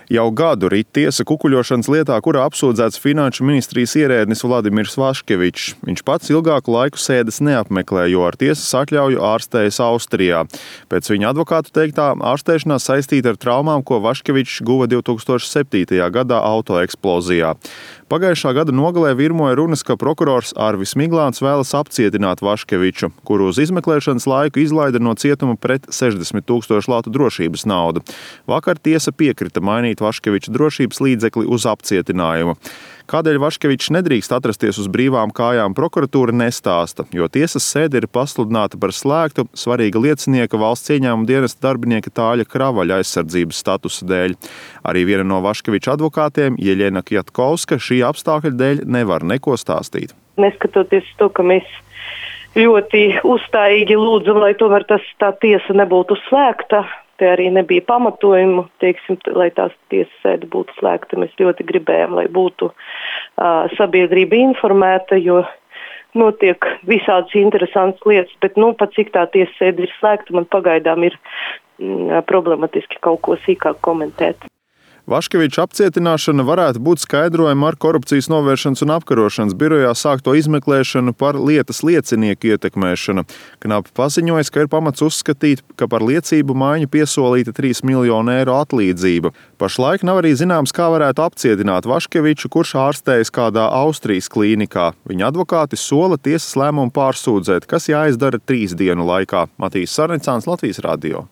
Jau gadu rit tiesa kukuļošanas lietā, kurā apsūdzēts Finanšu ministrijas ierēdnis Vladimirs Vaškevičs. Viņš pats ilgāku laiku sēdes neapmeklē, jo ar tiesas atļauju ārstējas Austrijā. Pēc viņa advokātu teiktā, ārstēšanās saistīta ar traumām, ko Vaškevičs guva 2007. gadā autoeksplozijā. Pagājušā gada nogalē virmoja runas, ka prokurors Arvis Miglāns vēlas apcietināt Vaškeviču, kuru uz izmeklēšanas laiku izlaida no cietuma pret 60 000 latu drošības naudu. Vakar tiesa piekrita mainīt Vaškeviča drošības līdzekli uz apcietinājumu. Kādēļ Vaškevičs nedrīkst atrasties uz brīvām kājām, prokuratūra nestāsta, jo tiesas sēde ir pasludināta par slēgtu svarīga liecinieka valsts ieņēmuma dienesta darbinieka Tāļa Kravaļa aizsardzības statusa dēļ. Arī viena no Vaškeviča advokātiem, Jeļena Kjatkovska, šī apstākļa dēļ nevar neko stāstīt. Neskatoties to, ka mēs ļoti uzstājīgi lūdzam, lai tomēr tā tiesa nebūtu slēgta, te arī nebija pamatojumu, lai tās tiesas sēde būtu slēgta. Mēs ļoti gribējām, lai būtu sabiedrība informēta, jo notiek visādas interesantas lietas, bet pat cik tā tiesas sēde ir slēgta, man pagaidām ir problematiski kaut ko sīkāk komentēt. Vaškeviča apcietināšana varētu būt skaidrojama ar Korupcijas novēršanas un apkarošanas birojā sākto izmeklēšanu par lietas liecinieku ietekmēšanu. Knapi paziņoja, ka ir pamats uzskatīt, ka par liecību maiņu piesolīta 3 miljonu eiro atlīdzība. Pašlaik nav arī zināms, kā varētu apcietināt Vaškeviču, kurš ārstējas kādā Austrijas klīnikā. Viņa advokāti sola tiesas lēmumu pārsūdzēt, kas jāizdara 3 dienu laikā. Matīs Sarnicāns, Latvijas radio.